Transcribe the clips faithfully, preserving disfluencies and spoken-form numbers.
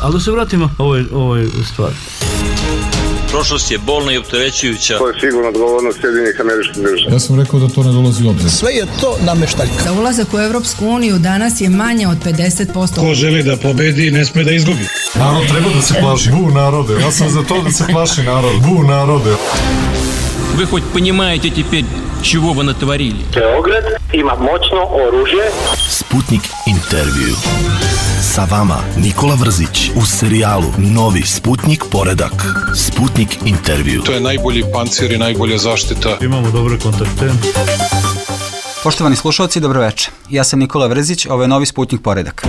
Ali da se vratimo ovoj, ovoj stvari. Prošlost je bolna i opterećujuća. To je sigurno odgovornost Sjedinjenih Američkih Država. Ja sam rekao da to ne dolazi u obzir. Sve je to nameštaljka. Za ulazak u Evropsku uniju danas je manje od pedeset posto. Ko želi da pobedi, ne sme da izgubi. Narod treba da se plaši. Bu narode. Ja sam za to da se plaši narod. Bu narode. Вы хоть понимаете теперь, чего вы натворили? Beograd ima moćno oružje. Sputnik intervju. Sa vama Nikola Vrzić u serijalu Novi Sputnik poredak. Sputnik intervju. To je najbolji pancir i najbolja zaštita. Imamo dobre kontakte. Poštovani slušalci, dobroveče. Ja sam Nikola Vrzić, ovo je Novi Sputnik poredak.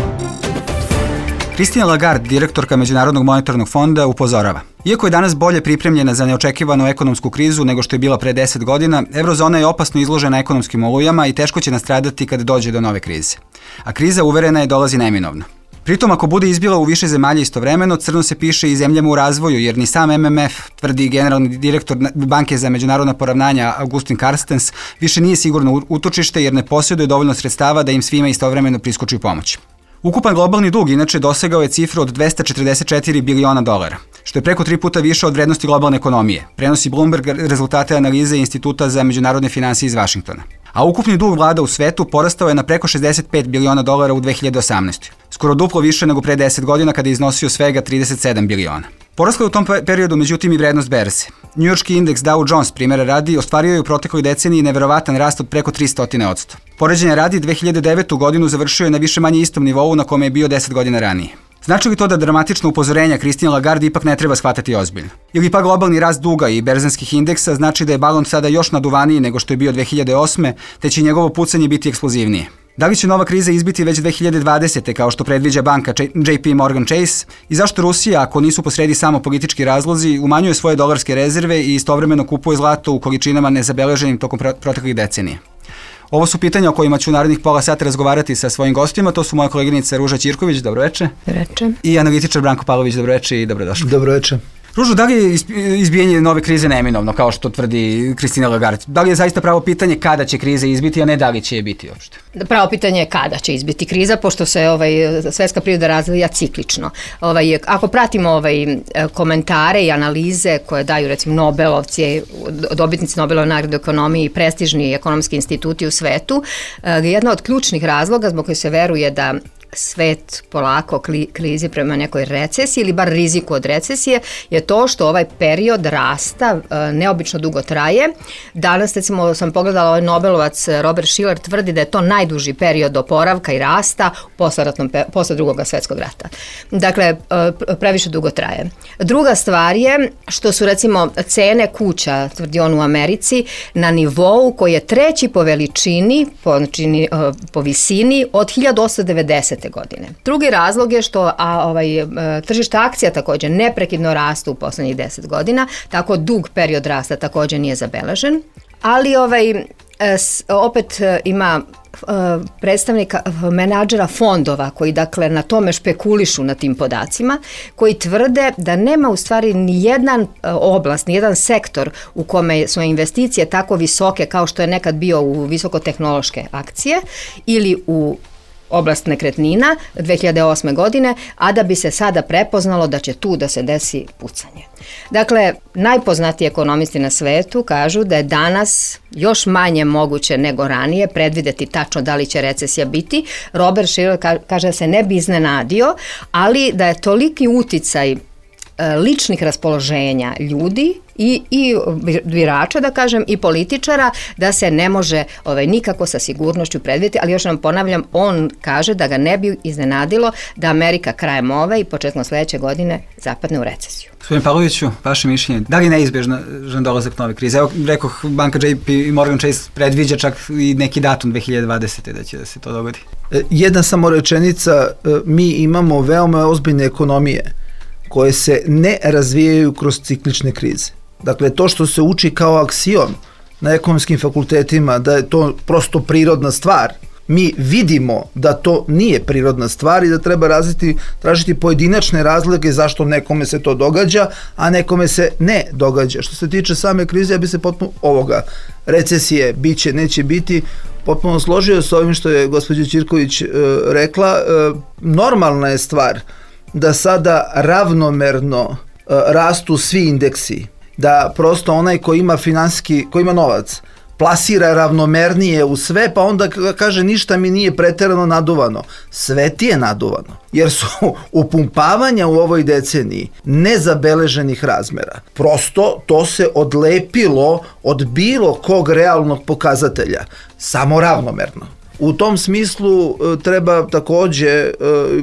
Christine Lagarde, direktorka Međunarodnog monetarnog fonda, upozorava. Iako je danas bolje pripremljena za neočekivanu ekonomsku krizu nego što je bila pre deset godina, eurozona je opasno izložena ekonomskim olujama i teško će nastradati kada dođe do nove krize. A kriza, uverena je, dolazi neminovno. Pritom, ako bude izbila u više zemalja istovremeno, crno se piše i zemljama u razvoju, jer ni sam M M F, tvrdi generalni direktor Banke za međunarodna poravnanja Augustin Carstens, više nije sigurno utočište jer ne posjeduje dovoljno sredstava da im svima istovremeno priskoči pomoć. Ukupan globalni dug inače dosegao je cifru od dvesta četrdeset četiri biliona dolara, što je preko tri puta više od vrednosti globalne ekonomije, prenosi Bloomberg rezultate analize Instituta za međunarodne finansije iz Vašingtona. A ukupni dug vlada u svetu porastao je na preko šezdeset pet biliona dolara u dve hiljade osamnaestoj. Skoro duplo više nego pre deset godina kada je iznosio svega trideset sedam biliona. Porasla je u tom periodu međutim i vrednost berze. Njujorški indeks Dow Jones, primjera radi, ostvario je u protekloj deceniji neverovatan rast od preko tristo posto. Poređenja radi, dve hiljade devetu godinu završio je na više manje istom nivou na kome je bio deset godina ranije. Znači li to da dramatično upozorenja Christine Lagarde ipak ne treba shvatati ozbiljno? Ili pa globalni rast duga i berzanskih indeksa znači da je balon sada još naduvaniji nego što je bio dve hiljade osme, te će njegovo pucanje biti eksplozivnije? Da li će nova kriza izbiti već dve hiljade dvadesete kao što predviđa banka J P Morgan Chase? I zašto Rusija, ako nisu posredi samo politički razlozi, umanjuje svoje dolarske rezerve i istovremeno kupuje zlato u količinama nezabeleženim tokom proteklih decenija? Ovo su pitanja o kojima ću u narednih pola sata razgovarati sa svojim gostima. To su moja koleginica Ruža Ćirković, dobroveče. Dobroveče. I analitičar Branko Pavlović, dobroveče i dobrodošli. Dobroveče. Ružo, da li je izbijanje nove krize neminovno, kao što tvrdi Christine Lagarde? Da li je zaista pravo pitanje kada će kriza izbiti, a ne da li će je biti uopšte? Pravo pitanje je kada će izbiti kriza, pošto se ovaj, svetska priroda razvija ciklično. Ovaj, ako pratimo ovaj, komentare i analize koje daju recimo Nobelovci, dobitnici Nobelove nagrade u ekonomiji i prestižni ekonomski instituti u svetu, jedna od ključnih razloga zbog koje se veruje da svet polako klizi prema nekoj recesiji ili bar riziku od recesije je to što ovaj period rasta neobično dugo traje. Danas, recimo, sam pogledala ovaj Nobelovac Robert Shiller tvrdi da je to najduži period oporavka i rasta posle drugog svjetskog rata. Dakle, previše dugo traje. Druga stvar je što su, recimo, cene kuća, tvrdi on, u Americi na nivou koji je treći po veličini, po, znači, po visini od hiljadu osamsto devedesete godine. Drugi razlog je što a, ovaj, tržište akcija također neprekidno rastu u poslednjih deset godina, tako dug period rasta također nije zabeležen, ali ovaj, opet ima predstavnika menadžera fondova koji dakle na tome špekulišu na tim podacima, koji tvrde da nema u stvari ni jedan oblast, ni jedan sektor u kome su investicije tako visoke kao što je nekad bio u visokotehnološke akcije ili u oblast nekretnina dve hiljade osme godine, a da bi se sada prepoznalo da će tu da se desi pucanje. Dakle, najpoznatiji ekonomisti na svetu kažu da je danas još manje moguće nego ranije predvideti tačno da li će recesija biti. Robert Shiller kaže da se ne bi iznenadio, ali da je toliki uticaj ličnih raspoloženja ljudi i, i birača, da kažem, i političara, da se ne može ovaj, nikako sa sigurnošću predvidjeti, ali još nam ponavljam, on kaže da ga ne bi iznenadilo da Amerika krajem ove i početkom sledeće godine zapadne u recesiju. Gospodin Pavloviću, vaše mišljenje, da li je neizbježan dolazak nove krize? Evo, rekoh, banka J P Morgan Chase predviđa čak i neki datum dve hiljade dvadesete da će da se to dogodi. Jedna samo rečenica, mi imamo veoma ozbiljne ekonomije koje se ne razvijaju kroz ciklične krize. Dakle, to što se uči kao aksiom na ekonomskim fakultetima, da je to prosto prirodna stvar, mi vidimo da to nije prirodna stvar i da treba razviti, tražiti pojedinačne razloge zašto nekome se to događa, a nekome se ne događa. Što se tiče same krize, ja bi se potpuno ovoga, recesije, biće, neće biti, potpuno složio s ovim što je gospođa Ćirković e, rekla. E, normalna je stvar da sada ravnomerno e, rastu svi indeksi, da prosto onaj ko ima finansijski, ko ima novac, plasira ravnomernije u sve, pa onda kaže ništa mi nije preterano naduvano. Sve ti je naduvano, jer su upumpavanja u ovoj deceniji nezabeleženih razmera. Prosto to se odlepilo od bilo kog realnog pokazatelja, samo ravnomerno. U tom smislu treba takođe,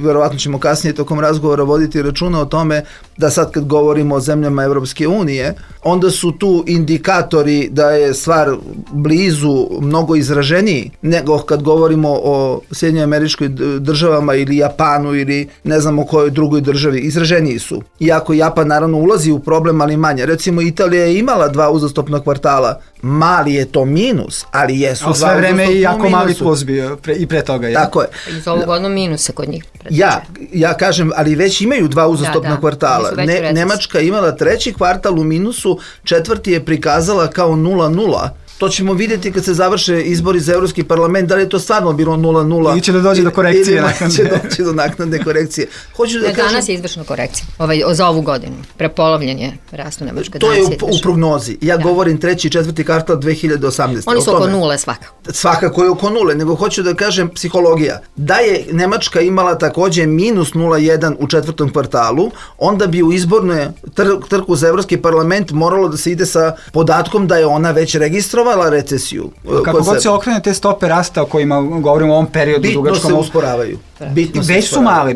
verovatno ćemo kasnije tokom razgovora voditi računa o tome da sad kad govorimo o zemljama Evropske unije, onda su tu indikatori da je stvar blizu mnogo izraženiji nego kad govorimo o Sjedinjenim Američkoj Državama ili Japanu ili ne znam o kojoj drugoj državi. Izraženiji su. Iako Japan naravno ulazi u problem, ali manje. Recimo Italija je imala dva uzastopna kvartala. Mali je to minus, ali jesu dva uzastopna minusu. A sve vreme i jako mali plus bio pre, i pre toga. Je. Tako je. Iz ovog godinu minusa kod njih. Ja, ja kažem, ali već imaju dva uzastopna da, da. kvartala. Ne, Nemačka imala treći kvartal u minusu, četvrti je prikazala kao nula nula. To ćemo vidjeti kad se završe izbori za Evropski parlament, da li je to stvarno bilo nula nula. Ili će da dođe do korekcije. Ili će doći do naknadne korekcije. Hoću da ne, kažem, danas je izvršna korekcija, ovaj, za ovu godinu. Prepolovljen je rastu Nemačke. To je u, u prognozi. Ja da. govorim treći i četvrti kvartal dve hiljade osamnaeste. Oni su oko nule svakako. Svakako je oko nule, nego hoću da kažem psihologija. Da je Nemačka imala takođe minus nula zarez jedan u četvrtom kvartalu, onda bi u izbornoj tr- trku za Evropski parlament moralo da se ide sa podatkom da je ona već registrovala recesiju. Kako god se okrene te stope rasta o kojima govorimo u ovom periodu bitno dugačkom, se usporavaju. Bitno već su male,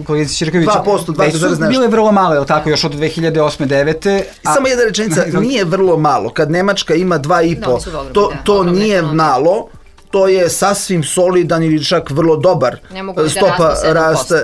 kolegica Ćirković, dva posto, već su bile vrlo male, je li tako, još od dve hiljade osme devete A... Samo jedna rečenica, nije vrlo malo. Kad Nemačka ima dva i po, to, to nije malo, to je sasvim solidan ili čak vrlo dobar stopa rasta.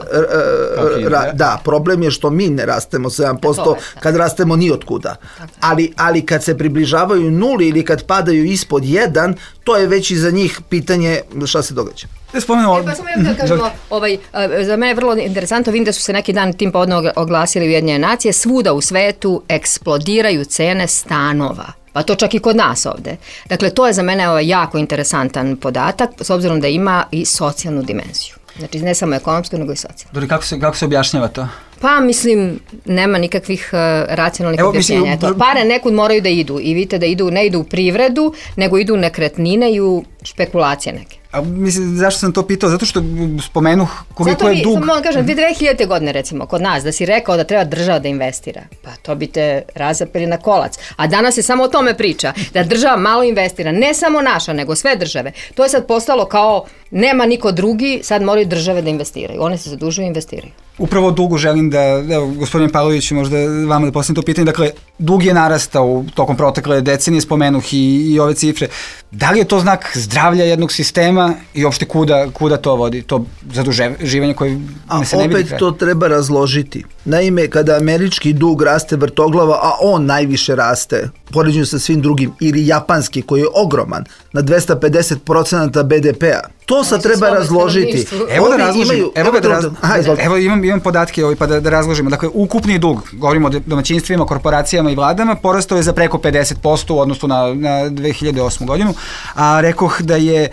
Ra, da, problem je što mi ne rastemo sedam posto kad rastemo ni otkuda. Ali, ali kad se približavaju nuli ili kad padaju ispod jedan, to je već i za njih pitanje šta se događa. Ne spomenemo... E, pa samo da kažemo, ovaj, za mene je vrlo interesantno, vidim da su se neki dan tim povodom oglasili Ujedinjene nacije, svuda u svetu eksplodiraju cene stanova. Pa to čak i kod nas ovde. Dakle, to je za mene ovaj jako interesantan podatak, s obzirom da ima i socijalnu dimenziju. Znači, ne samo ekonomsku, nego i socijalnu. Dobro, kako se, kako se objašnjava to? Pa, mislim, nema nikakvih uh, racionalnih Evo, objašnjenja. Mislim, Eto, pare nekud moraju da idu i vidite da idu, ne idu u privredu, nego idu u nekretnine i u špekulacije neke. A mislim, zašto sam to pitao? Zato što spomenuh koliko je dug. Zato vi, samo kažem, dve hiljadite godine recimo, kod nas, da si rekao da treba država da investira, pa to bi te razapeli na kolac. A danas se samo o tome priča, da država malo investira, ne samo naša, nego sve države. To je sad postalo kao, nema niko drugi, sad moraju države da investiraju. One se zadužuju i investiraju. Upravo dugu želim da, evo, gospodin Pavlović, možda vama da postavim to pitanje, dakle, dug je narastao tokom protekle decenije, spomenuh i, i ove cifre. Da li je to znak zdravlja jednog sistema i uopšte kuda, kuda to vodi, to zaduživanje koje ne se ne vidi? A opet to treba razložiti. Naime, kada američki dug raste vrtoglava, a on najviše raste, poređenju sa svim drugim, ili japanski koji je ogroman, na dvesta pedeset procenata be de pe a, to sad treba razložiti. Evo da razložim, imaju, evo, evo, da raz, aha, evo imam, imam podatke ovaj, pa da, da razložimo. Dakle, ukupni dug, govorimo o domaćinstvima, korporacijama i vladama, porastao je za preko pedeset posto u odnosu na, na dve hiljade osmu godinu, a rekoh da je e,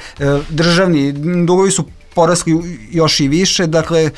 državni dugovi su porasli još i više, dakle, e,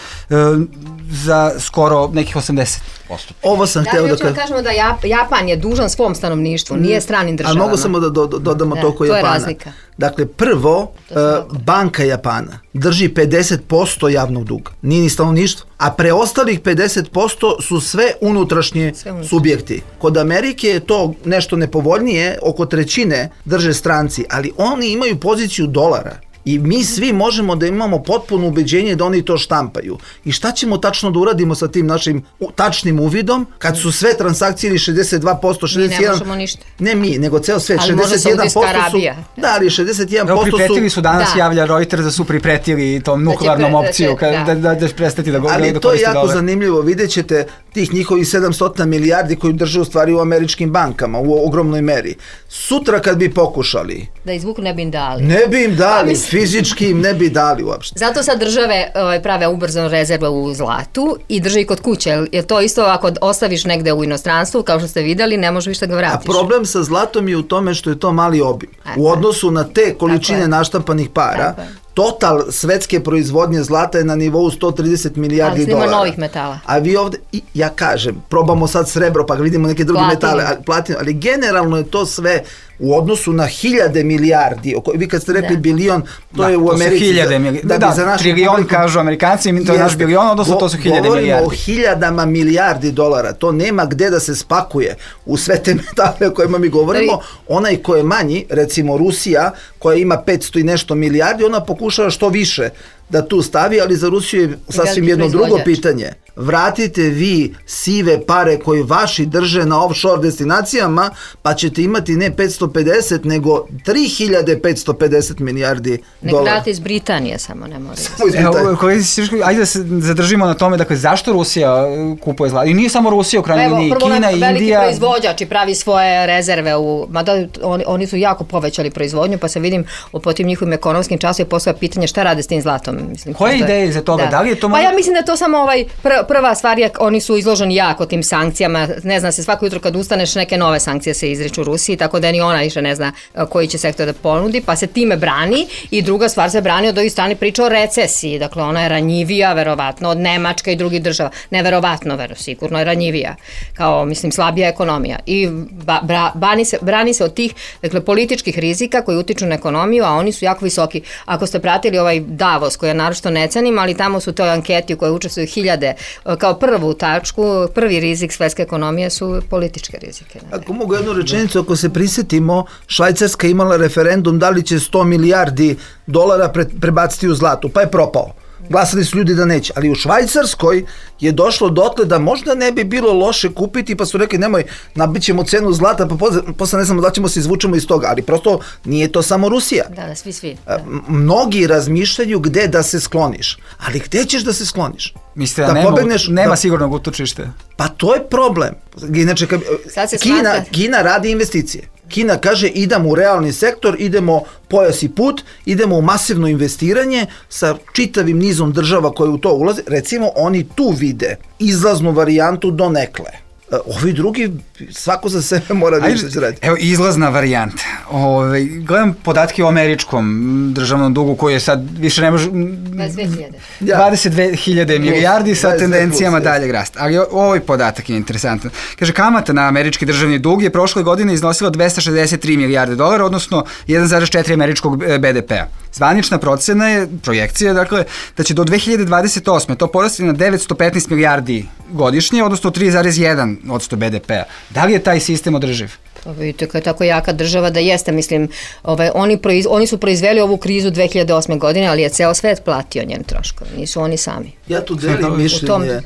za skoro nekih osamdeset posto. Ovo sam hteo da kažem. Da kažemo da Japan je dužan svom stanovništvu, nije stranim državama. A mogu samo da do, do, dodamo da, to ko Japana. To je razlika. Dakle, prvo, uh, banka Japana drži pedeset posto javnog duga. Nije ni stanovništvo. A preostalih pedeset posto su sve unutrašnje sve subjekti. Kod Amerike je to nešto nepovoljnije, oko trećine drže stranci, ali oni imaju poziciju dolara. I mi svi možemo da imamo potpuno ubeđenje da oni to štampaju. I šta ćemo tačno da uradimo sa tim našim tačnim uvidom kad su sve transakcije ili šezdeset dva posto, šezdeset jedan posto... Mi ne možemo ništa. Ne mi, nego ceo svet. Ali šezdeset jedan posto su... Da, ali šezdeset jedan posto su... Pripretili su danas, da. Javlja Reuters da su pripretili tom nuklearnom pre, opciju, da, da, da, da prestati da govori. Ali da to je jako dolar. Zanimljivo, vidjet ćete tih njihovih sedamsto milijardi koji drže u stvari u američkim bankama, u ogromnoj meri. Sutra kad bi pokušali... Da izvuku ne bi im dali. Ne bi im dali, fizički im ne bi dali uopšte. Zato sad države ovaj, prave ubrzanu rezervu u zlatu i drže i kod kuće, jer to isto ako ostaviš negde u inostranstvu, kao što ste vidjeli, ne možeš više da ga vratiš. A problem sa zlatom je u tome što je to mali obim. U odnosu na te količine naštampanih para, total svetske proizvodnje zlata je na nivou sto trideset milijardi ali dolara. Ali novih metala. A vi ovde, i ja kažem, probamo sad srebro pa vidimo neke druge platinu. metale, ali, platinu, ali generalno je to sve u odnosu na hiljade milijardi. Vi kad ste rekli da. bilion, to da, je u to Americi. Su hiljade milijardi. Da, da, da trilion publiku, kažu Amerikanci, to je naš bilion, odnosno to su hiljade govorimo milijardi. Govorimo o hiljadama milijardi dolara. To nema gde da se spakuje u sve te metale o kojima mi govorimo. Onaj ko je manji, recimo Rusija, koja ima petsto i nešto milijardi, ona pokušava što više da tu stavi, ali za Rusiju je sasvim jedno drugo pitanje. Vratite vi sive pare koje vaši drže na offshore destinacijama, pa ćete imati ne petsto pedeset, nego tri hiljade petsto pedeset milijardi Nek dolara. Nek vrati iz Britanije, samo ne mora. Evo, ajde da se zadržimo na tome, dakle, zašto Rusija kupuje zlato? I nije samo Rusija, u krajnjoj liniji, Kina, Indija. Veliki proizvođač i pravi svoje rezerve, u, mada oni, oni su jako povećali proizvodnju, pa se vidim po tim njihovim ekonomskim časovima postoje pitanje šta rade s tim zlatom. Mislim, koje ideje za toga? Da. Da li je to pa ja mislim da je to samo ovaj pr prva stvar je, oni su izloženi jako tim sankcijama, ne zna se svako jutro kad ustaneš neke nove sankcije se izriču u Rusiji, tako da ni ona više ne zna koji će sektor da ponudi, pa se time brani i druga stvar se brani od ovih strani priča o recesiji, dakle ona je ranjivija verovatno od Nemačke i drugih država, neverovatno vero, sigurno je ranjivija, kao mislim slabija ekonomija i ba, bra, brani, se, brani se od tih dakle, političkih rizika koji utiču na ekonomiju, a oni su jako visoki. Ako ste pratili ovaj Davos koji je naročito ne cenim, ali tamo su toj anketi u kojoj učestvuju hiljade, kao prvu tačku, prvi rizik svetske ekonomije su političke rizike. Ne? Ako mogu jednu rečenicu, ako se prisjetimo, Švajcarska imala referendum da li će sto milijardi dolara pre, prebaciti u zlatu, pa je propao. Glasali su ljudi da neće, ali u Švajcarskoj je došlo dotle da možda ne bi bilo loše kupiti, pa su rekli nemoj, nabit ćemo cenu zlata, pa posle, posle ne znamo da ćemo se izvučemo iz toga, ali prosto nije to samo Rusija. Da, da, svi, svi. Da. Mnogi razmišljaju gde da se skloniš, ali gde ćeš da se skloniš? Mislite da, da nema, pobegneš, nema da, sigurnog utočište? Pa to je problem. Inače, Kina, Kina radi investicije. Kina kaže idemo u realni sektor, idemo pojas i put, idemo u masivno investiranje sa čitavim nizom država koje u to ulaze. Recimo, oni tu vide izlaznu varijantu do nekle. Ovi drugi, svako za sebe mora da što će raditi. Evo, izlazna varijanta. Ove, gledam podatke o američkom državnom dugu koji je sad više ne može... dvadeset dve hiljade milijardi sa tendencijama daljeg rasta. Ali ovaj podatak je interesantan. Kaže, kamata na američki državni dug je prošle godine iznosila dvesta šezdeset tri milijarde dolara, odnosno jedan zarez četiri američkog be de pea. Zvanična procena je, projekcija, dakle, da će do dve hiljade dvadeset osme to porasti na devetsto petnaest milijardi godišnje, odnosno tri zarez jedan odsto be de pea. Da li je taj sistem održiv? Pa vidite kao je tako jaka država da jeste, mislim, ovaj, oni, proiz, oni su proizveli ovu krizu dve hiljade osme godine, ali je ceo svet platio njen troškove, nisu oni sami. Ja tu delim mišljenje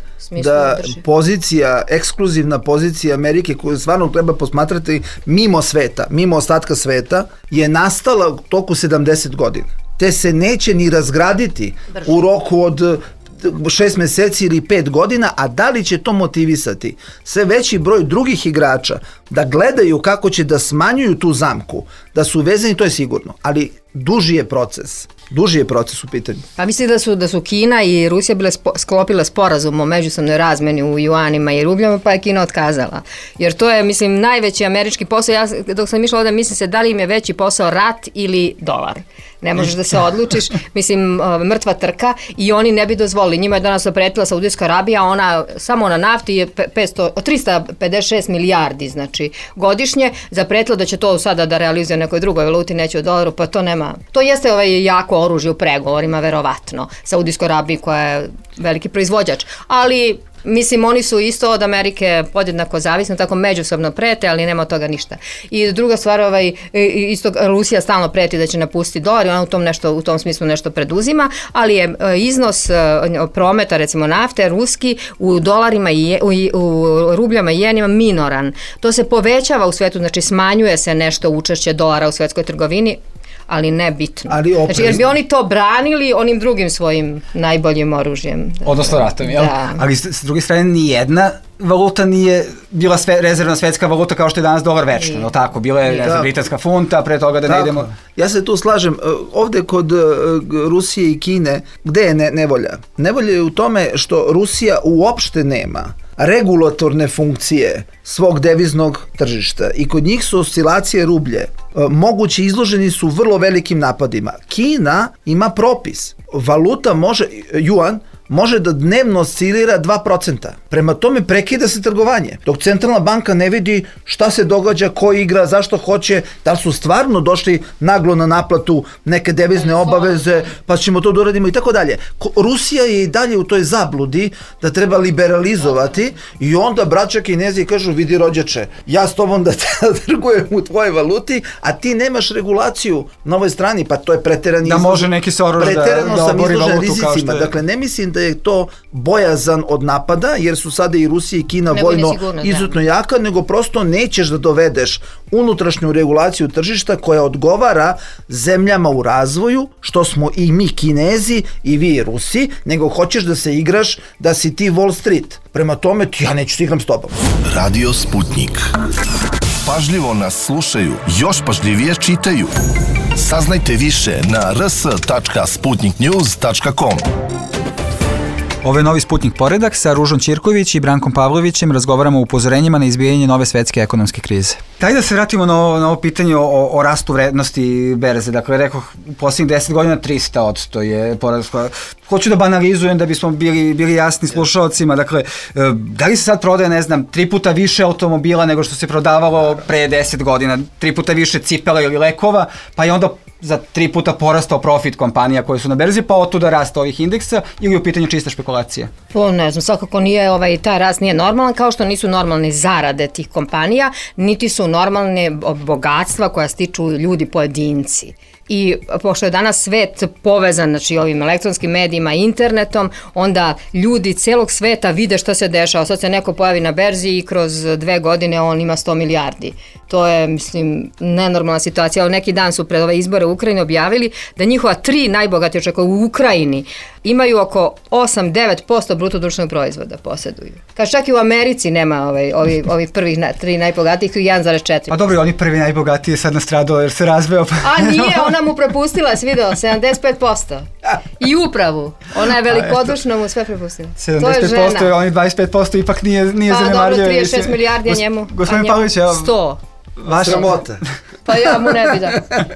da pozicija, ekskluzivna pozicija Amerike koju stvarno treba posmatrati mimo sveta, mimo ostatka sveta, je nastala u toku sedamdeset godina. Te se neće ni razgraditi Brže. u roku od šest meseci ili pet godina, a da li će to motivisati sve veći broj drugih igrača da gledaju kako će da smanjuju tu zamku, da su vezani, to je sigurno, ali duži je proces. Duži je proces u pitanju. Pa mislim da su, da su Kina i Rusija bile spo, sklopile sporazum o međusobnoj razmeni u juanima i rubljama, pa je Kina otkazala. Jer to je, mislim, najveći američki posao. Ja dok sam išla ovde, mislim se da li im je veći posao rat ili dolar. Ne možeš da se odlučiš, mislim, mrtva trka i oni ne bi dozvolili. Njima je danas opretila Saudijska Arabija, ona samo na nafti je petsto, trista pedeset šest milijardi, znači godišnje, zapretila da će to sada da realizuje nekoj drugoj valuti, neće u dolaru, pa to nema. To jeste ovaj jako oružje u pregovorima, verovatno, Saudijskoj Arabiji koja je veliki proizvođač, ali mislim, oni su isto od Amerike podjednako zavisni, tako međusobno prete, ali nema od toga ništa. I druga stvar, ovaj, isto Rusija stalno preti da će napustiti dolar i ona u tom, nešto, u tom smislu nešto preduzima, ali je iznos prometa, recimo nafte, ruski, u dolarima i u, u rubljama i jenima minoran. To se povećava u svetu, znači smanjuje se nešto učešće dolara u svetskoj trgovini, ali ne bitno. Ali znači, jer bi oni to branili onim drugim svojim najboljim oružjem. Odnosno ratom, jel? Da. Ali s druge strane, nijedna valuta nije bila sve, rezervna svetska valuta kao što je danas dolar večno, no tako, bila je ne znam, britanska funta, pre toga da ne idemo... Ja se tu slažem, ovde kod Rusije i Kine, gde je ne, nevolja? Nevolja je u tome što Rusija uopšte nema regulatorne funkcije svog deviznog tržišta i kod njih su oscilacije rublje mogući izloženi su vrlo velikim napadima. Kina ima propis. Valuta može, juan, može da dnevno oscilira dva procenta. Prema tome prekida se trgovanje. Dok centralna banka ne vidi šta se događa, ko igra, zašto hoće, da li su stvarno došli naglo na naplatu neke devizne obaveze, pa ćemo to da uradimo i tako dalje. Rusija je i dalje u toj zabludi da treba liberalizovati i onda braća Kinezi kažu, vidi rođače, ja s tobom da trgujem u tvojoj valuti, a ti nemaš regulaciju na ovoj strani, pa to je preterani da može neki Soros da, da obori valutu kao što je. Dakle, ne mislim da je to bojazan od napada, jer su sada i Rusija i Kina nego vojno izuzetno jaka, nego prosto nećeš da dovedeš unutrašnju regulaciju tržišta koja odgovara zemljama u razvoju, što smo i mi Kinezi i vi Rusi, nego hoćeš da se igraš da si ti Wall Street. Prema tome, ja neću se igram s tobom. Radio Sputnik. Pažljivo nas slušaju, još pažljivije čitaju. Saznajte više na r s tačka sputnik news tačka com. Ovo je novi Sputnik poredak sa Ružom Ćirković i Brankom Pavlovićem. Razgovaramo o upozorenjima na izbijanje nove svetske ekonomske krize. Daj da se vratimo na ovo, na ovo pitanje o, o rastu vrednosti berze. Dakle, rekao, u posljednjih deset godina tristo odsto je porast. Hoću da banalizujem da bismo bili, bili jasni slušalcima. Dakle, da li se sad prodaje, ne znam, tri puta više automobila nego što se prodavalo pre deset godina, tri puta više cipela ili lekova, pa je onda za tri puta porastao profit kompanija koje su na berzi, pa otuda rasta ovih indeksa, ili u pitanju čista špekulacija? Po, ne znam, svakako nije, ovaj, taj rast nije normalan, kao što nisu normalne zarade tih kompanija, niti su normalne bogatstva koja stiču ljudi pojedinci. I pošto je danas svet povezan, znači ovim elektronskim medijima, internetom, onda ljudi celog sveta vide šta se dešava. Sad se neko pojavi na berzi i kroz dve godine on ima sto milijardi. To je, mislim, nenormalna situacija. Neki dan su pred ove izbore u Ukrajini objavili da njihova tri najbogatija čovjeka u Ukrajini imaju oko osam do devet posto bruto društvenog proizvoda posjeduju. Kaže, čak i u Americi nema ovaj, ovi, ovi prvih na, tri najbogatijih i jedan zarez četiri. Pa dobro, oni prvi najbogatiji je sad nastradao jer se razveo. Pa... A nije, ona mu prepustila, si video, sedamdeset pet posto. I upravu. Ona je velikodušno mu sve prepustila. sedamdeset pet posto je, oni dvadeset pet posto ipak nije, nije pa, zanemarljivo. Pa dobro, trideset šest milijardi, a njemu, Gospodin Pavlović, evo, sto. Vaša sramota. Pa ja mu ne bi da.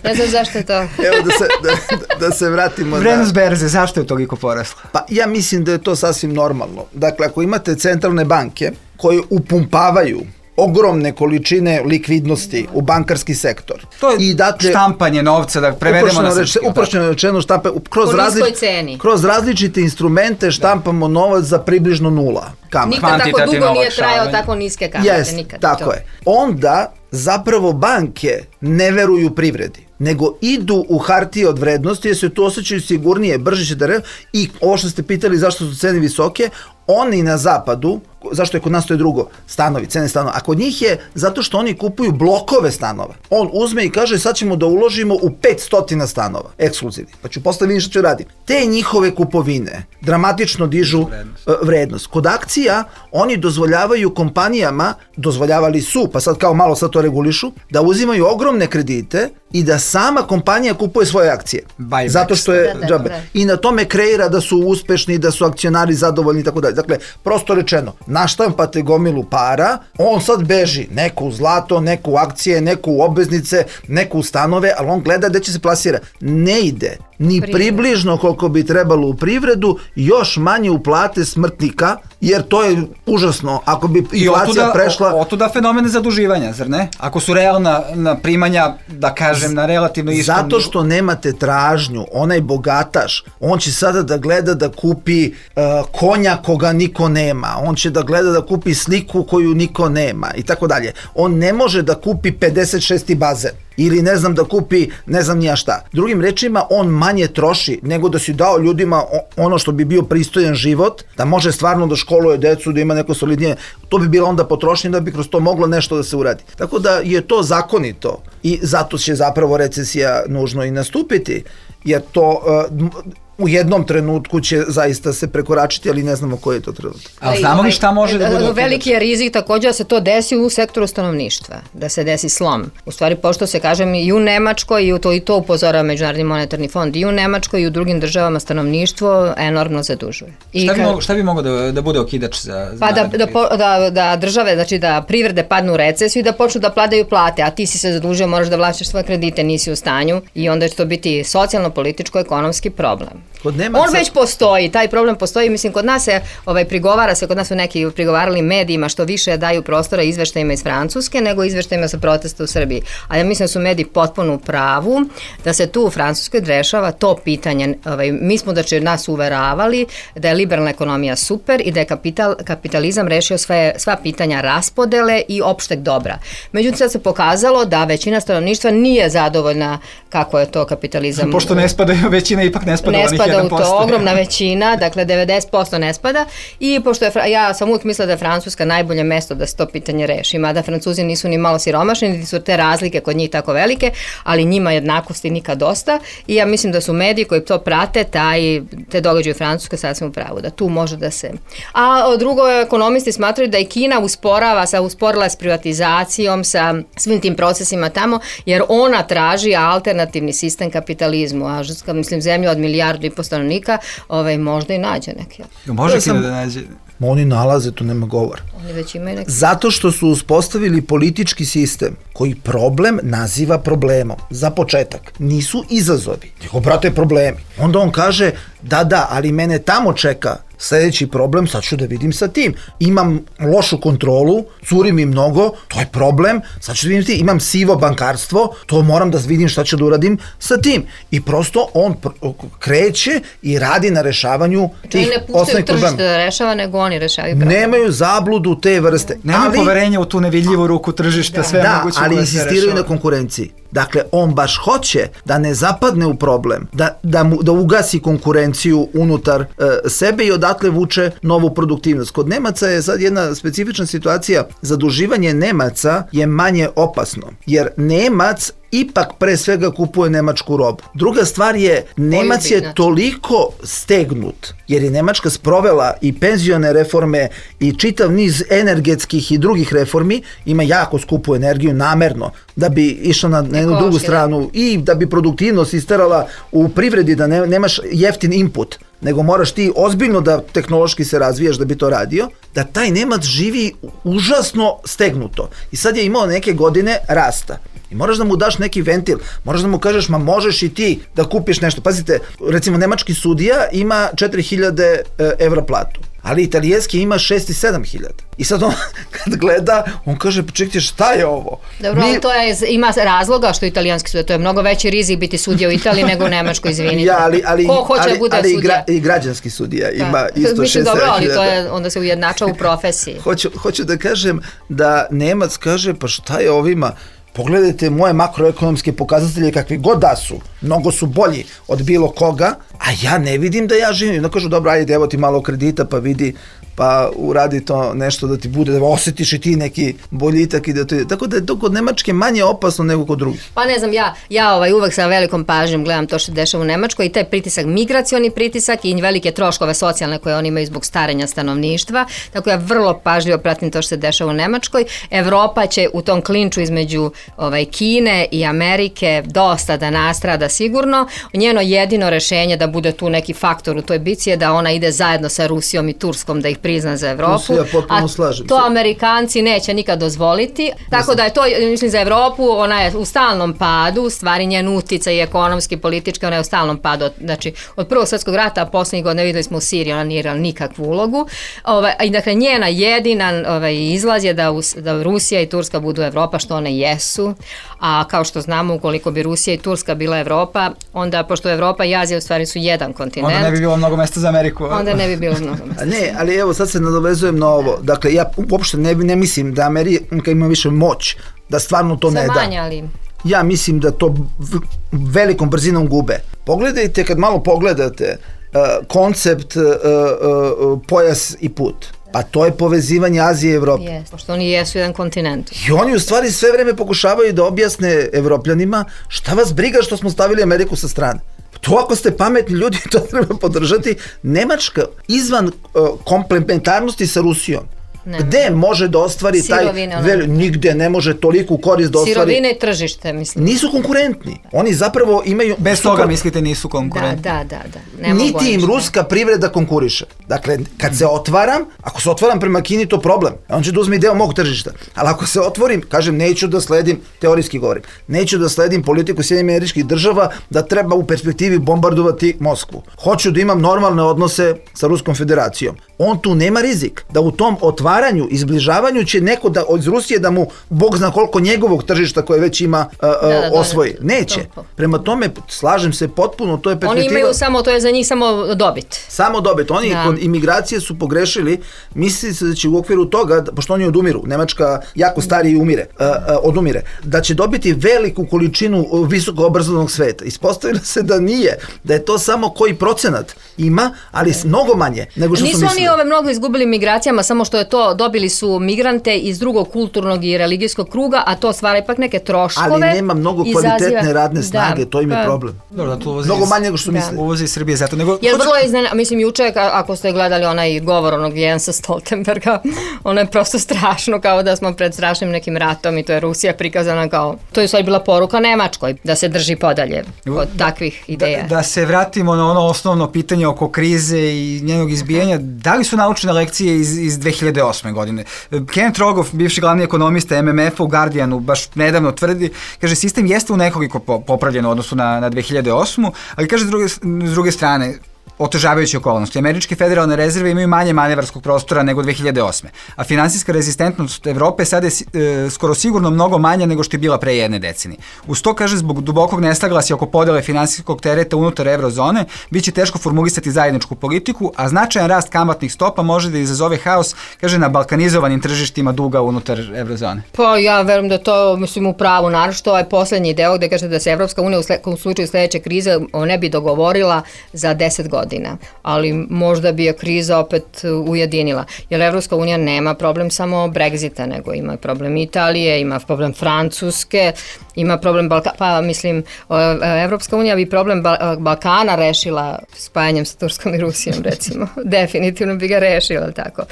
Ne znam zašto je to. Evo da se, da, da se vratimo. Vrednost berze, zašto je toliko porasla? Pa ja mislim da je to sasvim normalno. Dakle, ako imate centralne banke koje upumpavaju ogromne količine likvidnosti u bankarski sektor. To je I dakle, štampanje novca, da prevedemo na srpski. Uprošćeno rečeno štampe, kroz, različ, kroz različite instrumente štampamo da. novac za približno nula. Nikad tako dugo nije trajao tako niske kamate. Yes, nikad. Tako to. je. Onda zapravo banke ne veruju privredi, nego idu u hartije od vrednosti jer se tu osjećaju sigurnije, brže će da re... i ovo što ste pitali zašto su cene visoke, oni na zapadu, zašto je kod nas to je drugo, stanovi, cene stanova, a kod njih je zato što oni kupuju blokove stanova. On uzme i kaže sad ćemo da uložimo u petsto stanova, ekskluzivni, pa ću posle vidjeti što ću raditi. Te njihove kupovine dramatično dižu vrednost. vrednost. Kod akcija oni dozvoljavaju kompanijama, dozvoljavali su, pa sad kao malo sad to regulišu, da uzimaju ogromne kredite i da sama kompanija kupuje svoje akcije. Buybacks. Zato što je da, da, da. I na tome kreira da su uspešni, da su akcionari zadovoljni i tako dalje. Dakle, prosto rečeno, naštampate gomilu para, on sad beži neko u zlato, neko u akcije, neko u obveznice, neko u stanove, ali on gleda gde će se plasira. Ne ide ni približno koliko bi trebalo u privredu, još manje u plate smrtnika, jer to je užasno. Ako bi inflacija prešla... Otuda fenomene zaduživanja, zar ne? Ako su realna na primanja, da kažem, na relativno istom... Zato što nemate tražnju, onaj bogataš, on će sada da gleda da kupi uh, konja koga niko nema, on će da gleda da kupi sliku koju niko nema i tako dalje. On ne može da kupi pedeset šesti bazen. Ili ne znam da kupi ne znam nija šta. Drugim rečima, on manje troši nego da si dao ljudima ono što bi bio pristojan život, da može stvarno da školuje decu, da ima neko solidnije, to bi bila onda potrošnja da bi kroz to moglo nešto da se uradi. Tako da je to zakonito i zato će zapravo recesija nužno i nastupiti, jer to, u jednom trenutku će zaista se prekoračiti, ali ne znamo koji je to trenutak. Ali znamo li šta može da bude? Veliki je rizik također da se to desi u sektoru stanovništva, da se desi slom. U stvari, pošto se kažem i u Nemačkoj, i to, i to upozorava Međunarodni monetarni fond, i u Nemačkoj i u drugim državama stanovništvo enormno zadužuje. I šta, bi kad... mogo, šta bi moglo da, da bude okidač za, za Pa da, da, da, da države, znači da privrede padnu u recesiju i da počnu da padaju plate, a ti si se zadužio, moraš da vraćaš svoje kredite, nisi u stanju i onda će to biti socijalno-političko-ekonomski problem. Kod Nemaca... On već postoji, taj problem postoji, mislim kod nas se ovaj, prigovara se, kod nas su neki prigovarali medijima što više daju prostora izveštajima iz Francuske nego izveštajima sa protesta u Srbiji. A ja mislim da su mediji potpuno u pravu da se tu u Francuskoj rešava to pitanje. Ovaj, mi smo da će nas uveravali da je liberalna ekonomija super i da je kapital, kapitalizam rešio sve, sva pitanja raspodele i opšteg dobra. Međutim, sad se pokazalo da većina stanovništva nije zadovoljna kako je to kapitalizam. Pošto ne spada, većina ipak ne spada, ne onih spada jedan u posto. to, ogromna većina, dakle devedeset posto ne spada i pošto je, ja sam uvijek mislila da je Francuska najbolje mesto da se to pitanje reši, mada Francuzi nisu ni malo siromašni, niti su te razlike kod njih tako velike, ali njima jednakosti nikad dosta i ja mislim da su mediji koji to prate, taj, te događaje u Francuskoj sasvim u pravu, da tu može da se... A drugo, ekonomisti smatraju da i Kina usporava, sa, usporila s privatizacijom, sa svim tim procesima tamo, jer ona traži alternativni sistem kapitalizmu, a mislim zemlju od milijardu i po stanovnika, ovaj, možda i nađe neke. Može Kina da nađe? Oni nalaze, tu nema govora. Oni već imaju neki... Zato što su uspostavili politički sistem koji problem naziva problemom. Za početak. Nisu izazovi, nego brate problemi. Onda on kaže, da, da, ali mene tamo čeka sljedeći problem, sad ću da vidim sa tim. Imam lošu kontrolu, curi mi mnogo, to je problem, sad ću da vidim sa tim. Imam sivo bankarstvo, to moram da vidim šta ću da uradim sa tim. I prosto on kreće i radi na rešavanju tih osnovnih problema. Ne puštaju tržište da rešava, nego oni rešavaju problem. Nemaju zabludu te vrste. Nemaju ali, poverenja u tu nevidljivu ruku tržišta, da, sve da, moguće ali da se insistiraju rešava. Na konkurenciji. Dakle, on baš hoće da ne zapadne u problem, da, da, mu, da ugasi konkurenciju unutar e, sebe i odatle vuče novu produktivnost. Kod Nemaca je sad jedna specifična situacija, zaduživanje Nemaca je manje opasno, jer Nemac ipak pre svega kupuje nemačku robu. Druga stvar je, Nemac je toliko stegnut, jer je Nemačka sprovela i penzione reforme i čitav niz energetskih i drugih reformi, ima jako skupu energiju namerno, da bi išla na, na jednu drugu stranu i da bi produktivnost isterala u privredi, da ne, nemaš jeftin input, nego moraš ti ozbiljno da tehnološki se razvijaš da bi to radio, da taj Nemac živi užasno stegnuto. I sad je imao neke godine rasta. I moraš da mu daš neki ventil, moraš da mu kažeš, ma možeš i ti da kupiš nešto. Pazite, recimo nemački sudija ima četiri hiljade evra platu, ali italijanski ima šest i sedam hiljada. I sad on, kad gleda, on kaže, pa čekajte, šta je ovo? Dobro, Mi... to je, ima razloga što italijanski sudija, to je mnogo veći rizik biti sudija u Italiji nego u Nemačkoj, izvinite. Ja, ali, ali, Ko hoće ali, da bude ali sudija? I, gra, i građanski sudija ima da. Isto šest i sedam hiljada. Dobro, ali to je, onda se ujednača u profesiji. hoću, hoću da kažem da Nemac kaže, pa šta je ovima? Pogledajte moje makroekonomske pokazatelje kakvi god da su, mnogo su bolji od bilo koga, a ja ne vidim da ja živim. Onda kažu, dobro, ajde, evo ti malo kredita, pa vidi, pa uradi to nešto da ti bude, da osjetiš i ti neki boljitak i da to je. Tako da je to kod Nemačke manje opasno nego kod drugih. Pa ne znam, ja, ja ovaj, uvek sa velikom pažnjom gledam to što se dešava u Nemačkoj i taj pritisak, migracioni pritisak i velike troškove socijalne koje oni imaju zbog starenja stanovništva, tako ja vrlo pažljivo pratim to što se dešava u Nemačkoj. Evropa će u tom klinču između ovaj, Kine i Amerike dosta da nastrada sigurno. Njeno jedino rešenje da bude tu neki faktor u toj bici je da ona ide zajedno sa Rusijom i Turskom da ih prizna za Evropu, ja a slažem to se. Amerikanci neće nikad dozvoliti, tako da je to, mislim, za Evropu, ona je u stalnom padu, stvari njen uticaj i ekonomski, politički, ona je u stalnom padu, znači od prvog svjetskog rata, a posljednjih godina videli smo u Siriji, ona nije igrala nikakvu ulogu, ovaj, i dakle njena jedina ovaj, izlaz je da, da Rusija i Turska budu Evropa, što one jesu, a kao što znamo, ukoliko bi Rusija i Turska bila Evropa, onda, pošto Evropa i Azija u stvari su jedan kontinent, onda ne bi bilo mnogo mesta za Ameriku. Onda ne bi bilo mnogo mesta. Ne, ali evo sad se nadovezujem na ovo. Dakle, ja uopšte ne, ne mislim da Amerika ima više moć, da stvarno to ne da. Zamanja li? Ja mislim da to velikom brzinom gube. Pogledajte, kad malo pogledate uh, koncept uh, uh, pojas i put. Pa to je povezivanje Azije i Evrope. Yes, pošto oni jesu jedan kontinent. I oni u stvari sve vreme pokušavaju da objasne Evropljanima šta vas briga što smo stavili Ameriku sa strane. To ako ste pametni ljudi, to treba podržati. Nemačka izvan uh, komplementarnosti sa Rusijom. Ne. Gde može da ostvari Sirovine, taj vel, nigde ne može toliku korist da ostvari. Sirovine i tržište, mislim. Nisu konkurentni. Oni zapravo imaju... Bez super... toga mislite nisu konkurentni. Da, da, da. da. Ne Niti im ruska privreda konkuriše. Dakle, kad se otvaram, ako se otvaram prema Kini, to problem. On će da uzme deo mog tržišta. Ali ako se otvorim, kažem, neću da sledim, teorijski govorim, neću da sledim politiku Sjedinjenih Američkih Država da treba u perspektivi bombardovati Moskvu. Hoću da imam normalne odnose sa Ruskom federacijom. On tu nema rizik da u tom otvaranju, izbližavanju će neko da od Rusije da mu Bog zna koliko njegovog tržišta koje već ima uh, uh, da, da, osvoji. Neće. Prema tome, slažem se potpuno, to je perspektiva. Oni imaju samo, to je za njih samo dobit. Samo dobit. Oni da. Kod imigracije su pogrešili, misli se da će u okviru toga, pošto oni odumiru, Nemačka jako stariji umire, uh, uh, odumire, da će dobiti veliku količinu visoko obrazovnog sveta. Ispostavilo se da nije, da je to samo koji procenat ima, ali mnogo manje nego što su mislili. Nisu oni ove mnogo izgubili migracijama, samo što je to, dobili su migrante iz drugog kulturnog i religijskog kruga, a to stvara ipak neke troškove. Ali nema mnogo kvalitetne izaziva... radne snage, da, to im je problem. Dobro, da to uvozi mnogo manje nego što da. misle. Uvozi iz Srbije zato. Nego... Jer vrlo je iznena, mislim, juče, ako ste gledali onaj govor onog Jensa Stoltenberga, ono je prosto strašno, kao da smo pred strašnim nekim ratom i to je Rusija prikazana kao, to je sad bila poruka Nemačkoj, da se drži podalje od takvih ideja. Da, da se vratimo na ono osnovno pitanje oko krize i njenog izbijanja, da li su naučene lekcije iz, iz dve hiljade osme godine? Kenneth Rogoff, bivši glavni ekonomista em em efa u Guardianu, baš nedavno tvrdi, kaže, sistem jeste u nekoliko popravljen u odnosu na, na dve hiljade osmu, ali kaže s druge, s druge strane, otežavajuće okolnosti. Američke federalne rezerve imaju manje manevarskog prostora nego dve hiljade osme. A finansijska rezistentnost Evrope sada je e, skoro sigurno mnogo manja nego što je bila pre jedne decenije. Uz to, kaže, zbog dubokog nesaglasja oko podele finansijskog tereta unutar eurozone, bit će teško formulisati zajedničku politiku, a značajan rast kamatnih stopa može da izazove haos, kaže, na balkanizovanim tržištima duga unutar eurozone. Pa ja verujem da to, mislim, u pravu, naravno što ovaj poslednji deo gde kaže da se Evropska unija u, sle, u slučaju sledeće krize ne bi dogovorila za deset godina. Ali možda bi je kriza opet ujedinila. Jer Evropska unija nema problem samo Brexita, nego ima problem Italije, ima problem Francuske, ima problem Balkana, pa mislim, Evropska unija bi problem Balkana rešila spajanjem sa Turskom i Rusijom, recimo. Definitivno bi ga rešila, tako.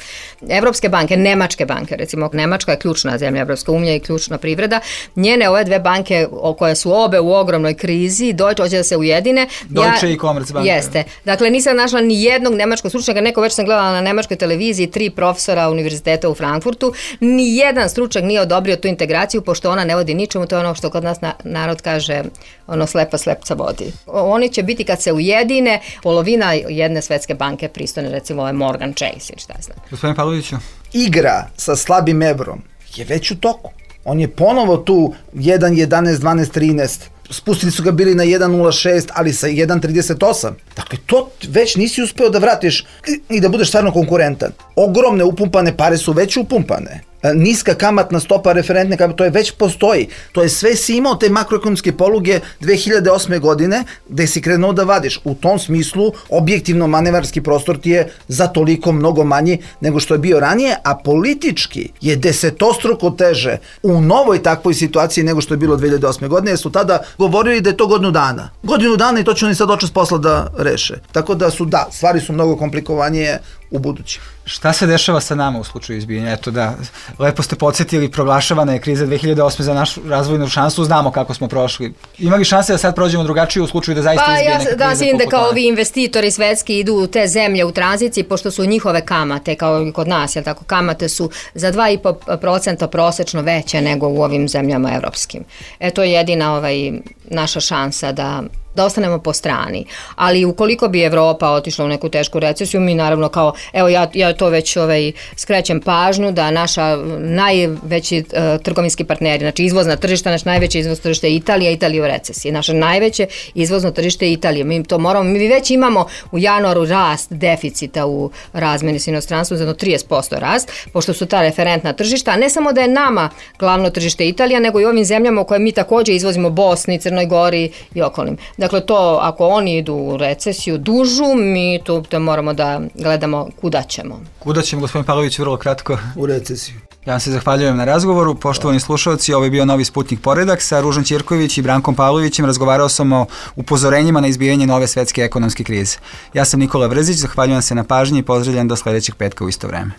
Evropske banke, nemačke banke, recimo, Nemačka je ključna zemlja, Evropska unija i ključna privreda. Njene ove dve banke, koje su obe u ogromnoj krizi, Deutsche hoće da se ujedine. Deutsche ja, i Commerzbank. Jeste. Dakle, nisam našla ni jednog nemačkog stručnjaka, neko već sam gledala na nemačkoj televiziji, tri profesora univerziteta u Frankfurtu, ni jedan stručnjak nije odobrio tu integraciju, pošto ona ne vodi ničemu, to je ono što kod nas na, narod kaže, ono slepa slepca vodi. Oni će biti kad se ujedine, polovina jedne svetske banke pristojne, recimo ove Morgan Chase ili šta znam. Gospodin Pavloviću. Igra sa slabim evrom je već u toku. On je ponovo tu jedan jedanaest, dvanaest, trinaest. Spustili su ga bili na jedan nula šest, ali sa jedan trideset osam. Dakle, to već nisi uspeo da vratiš i da budeš stvarno konkurentan. Ogromne upumpane pare su već upumpane. Niska kamatna stopa, referentne kamate, to je već postoji. To je sve si imao te makroekonomske poluge dve hiljade osme godine gde si krenuo da vadiš. U tom smislu, objektivno manevarski prostor ti je za toliko mnogo manji nego što je bio ranije, a politički je desetostruko teže u novoj takvoj situaciji nego što je bilo dve hiljade osme godine, jer su tada govorili da je to godinu dana. Godinu dana i to će oni sad očas posla da reše. Tako da su, da, stvari su mnogo komplikovanije u budući. Šta se dešava sa nama u slučaju izbijanja? Eto da, lepo ste podsjetili, proglašavana je kriza dve hiljade osme za našu razvojnu šansu, znamo kako smo prošli. Ima li šanse da sad prođemo drugačije u slučaju da zaista pa, izbije neka kriza? Pa ja da se da kao ovi investitori svetski idu u te zemlje u tranziciji, pošto su njihove kamate, kao i kod nas, jel tako, kamate su za dva i po procenta prosečno veće nego u ovim zemljama evropskim. E to je jedina ovaj, naša šansa da da ostanemo po strani. Ali ukoliko bi Evropa otišla u neku tešku recesiju, mi naravno kao, evo ja, ja to već ovaj, skrećem pažnju da naša najveći uh, trgovinski partneri, znači izvozna tržišta, naš najveće izvoz tržište je Italija, Italija u recesiji. Naše najveće izvozno tržište je Italija. Mi to moramo, mi već imamo u januaru rast deficita u razmeni s inostranstvom, za jedno trideset posto rast, pošto su ta referentna tržišta, a ne samo da je nama glavno tržište Italija, nego i ovim zemljama u koje mi takođe izvozimo, Bosni, Crnoj Gori i okolnim. Dakle, to ako oni idu u recesiju dužu, mi tu to moramo da gledamo kuda ćemo. Kuda ćemo, gospodin Pavlović, vrlo kratko? U recesiju. Ja vam se zahvaljujem na razgovoru. Poštovani slušalci, ovo je bio novi Sputnik Poredak. Sa Ružom Ćirković i Brankom Pavlovićem razgovarao sam o upozorenjima na izbijanje nove svetske ekonomske krize. Ja sam Nikola Vrzić, zahvaljujem se na pažnji i pozdravljam do sledećeg petka u isto vreme.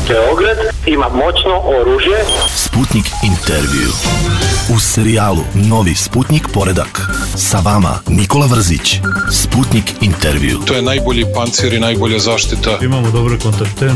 Beograd ima moćno oružje. Sputnik intervju. U serijalu Novi Sputnik Poredak. Sa vama Nikola Vrzić. Sputnik intervju. To je najbolji pancir i najbolja zaštita. Imamo dobre kontakte.